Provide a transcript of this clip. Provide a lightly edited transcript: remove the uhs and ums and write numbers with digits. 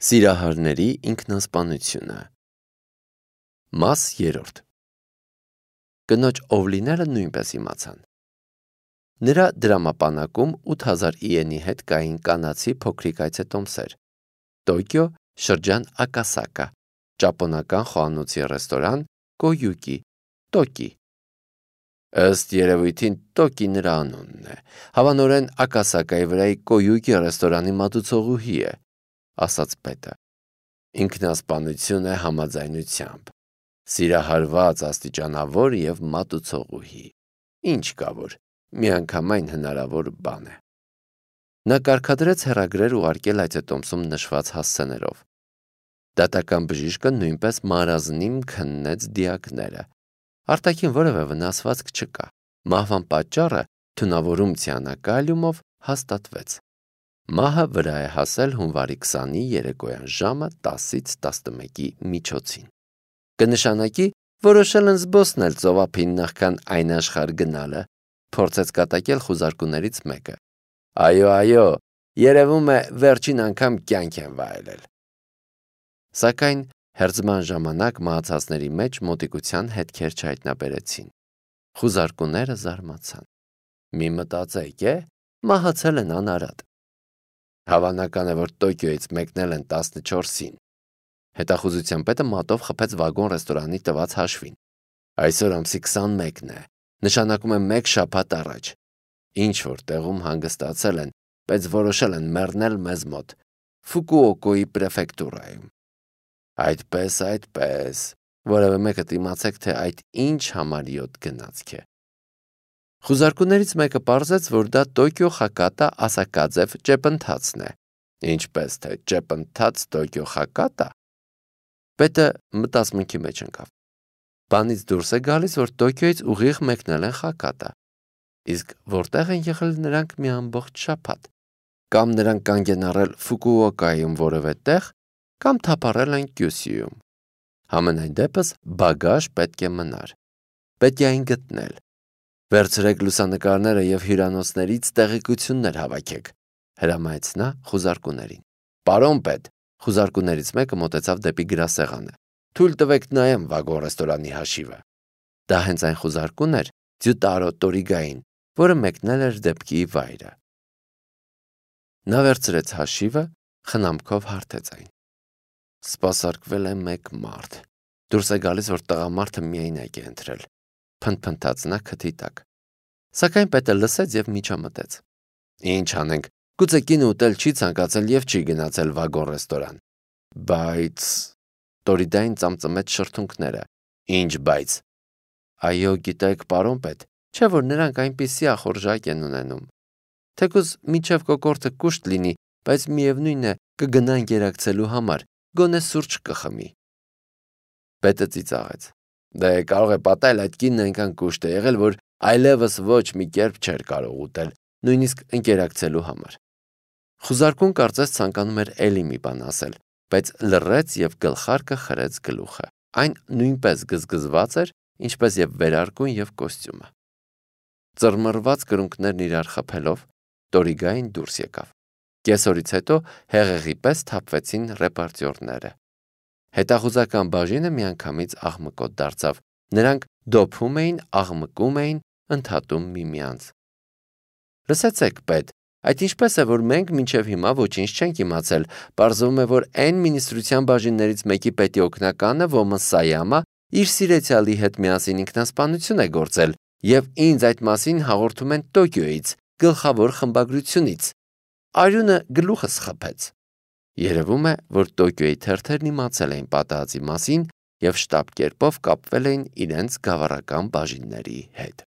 Սիրահարների ինքնասպանությունը։ Մաս 3. Կնոջ ով լինելը նույնպես իմացան։ Նրա դրամապանակում 8000 իենի հետ կային կանացի փոքրիկ այցետոմսեր, Տոկիո շրջան Ակասակա, ճապոնական խոհանոցի ռեստորան Կոյուկի, Տոկի։ Ըստ երևույթին Տոկի նրա անունն է, հավանորեն Ակասակայի վրայի Կոյուկի ռեստորանի մատուցողուհի է, ասաց պետը։ Ինքնասպանություն է համաձայնությամբ, սիրահարված, աստիճանավոր և մատուցողուհի, ինչ կա որ, միանգամայն հնարավոր բան է։ Նա կարգադրեց հեռագրեր ուղարկել այցետոմսում նշված հասցեներով։ Դատական բժիշկը նույնպես մարազնիմ քննեց դիակները։ Արտաքին որևէ վնասվածք չկա։ Մահվան պատճառը թունավորում ցիանակալիումով հաստատվեց։ Մահը վրա է հասել հունվարի 20-ի երեկոյան ժամը 10-ից 11-ի միջոցին։ Կնշանակի որոշել են զբոսնել ծովափին նախքան այն աշխարհ գնալը, փորձեց կատակել խուզարկուներից մեկը։ Այո, երևում է վերջին անգամ կյանք են վայելել։ Սակայն հերձման ժամանակ մահացածների մեջ մոտիկության հետքեր չհայտնաբերեցին։ Խուզարկուները զարմացան։ Մի մտածեք, մահացել են անարատ։ Հավանական է, որ Տոկիոյից մեկնել են 14-ին։ Հետախուզության պետը մատով խփեց վագոն ռեստորանի տված հաշվին։ Այսօր ամսի 21-ն է, նշանակում է 1 շաբաթ առաջ։ Ինչ որ տեղում հանգստացել են, բայց որոշել են մեռնել մեզ մոտ, Ֆուկուոկոյի պրեֆեկտուրայում։ Այդպես, որևէ մեկը իմացեք, թե այդ ինչ համարյոտ գնացք է։ Խուզարկուներից մեկը պարզեց, որ դա Տոկիո Խակատա Ասակաձև ճեպընթացն է։ Ինչպես թե ճեպընթաց Տոկիո Խակատա։ Պետը մտածմունքի մեջ ընկավ։ Բանից դուրս է գալիս, որ Տոկիոյից ուղիղ մեկնել են Խակատա։ Իսկ որտեղ են եղել նրանք մի ամբողջ շաբաթ։ Կամ նրանք կանգ են առել Ֆուկուոկայում որևէ տեղ, կամ թափառել են Կյուսյուում։ Համենայն դեպս բագաժ պետք է մնար։ Պետք է այն գտնել։ Վերցրեք լուսանկարները և հյուրանոցներից տեղեկություններ հավաքեք, հրամայեց նա խուզարկուներին։ Պարոն պետ, խուզարկուներից մեկը մոտեցավ դեպի գրասեղանը։ Թույլ տվեք նայեմ վագոն ռեստորանի հաշիվը։ Դա հենց այն խուզարկուն էր Ձյուտարո Տորիգային, որը մեկնել էր դեպքի վայրը։ Նա վերցրեց հաշիվը, խնամքով հարթեց այն։ Սպասարկվել է 1 մարդ։ Դուրս է գալիս, որ տղամարդը միայնակ է ընտրել։ Փնթփնթաց նա քթի տակ։ Սակայն պետը լսեց և միջամտեց։ Ինչ անենք, գուցե կինը ուտել չի ցանկացել և չի գնացել վագոն ռեստորան։ Բայց Տորիդային ծամծմեց շրթունքները։ Ինչ բայց։ Այո, գիտեք, պարոն պետ, չէ՞ որ նրանք այնպիսի ախորժակ են ունենում։ Թեկուզ մինչև կոկորդը կուշտ լինի, բայց միևնույն է կգնան գերակցելու համար, գոնե սուրճ կխմի։ Պետը ծիծաղեց։ Դե կարող է պատահել այդ կինն այնքան կուշտ է եղել, որ այլևս ոչ մի կերպ չէր կարող ուտել, նույնիսկ ընկերակցելու համար։ Խուզարկուն կարծես ցանկանում էր էլի մի բան ասել, բայց լռեց և գլխարկը խրեց գլուխը։ Այն նույնպես գզգզված էր, ինչպես և վերարկուն և կոստյումը։ Ծռմռված կրունկներն իրար խփելով, Տորիգային դուրս եկավ։ Կեսօրից հետո հեղեղի պես թափվեցին ռեպորտյորները։ Հետախուզական բաժինը միանգամից աղմկոտ դարձավ։ Նրանք դոփում էին, աղմկում էին, ընդհատում միմյանց։ Լսեցեք, պետ, այդ ինչպես է, որ մենք մինչև հիմա ոչինչ չենք իմացել, պարզվում է, որ N մինիստրության բաժիններից մեկի պետի օգնականը Ոմասայամը իր սիրեցյալի հետ միասին ինքնասպանություն է գործել, և ինձ այդ մասին հաղորդում են Տոկիոյից, գլխավոր խմբագրությունից։ Արյունը գլուխս խփեց։ Երևում է, որ Տոկիոյի թերթերն իմացել էին պատահածի մասին և շտապ կերպով կապվել էին իրենց գավառական բաժինների հետ։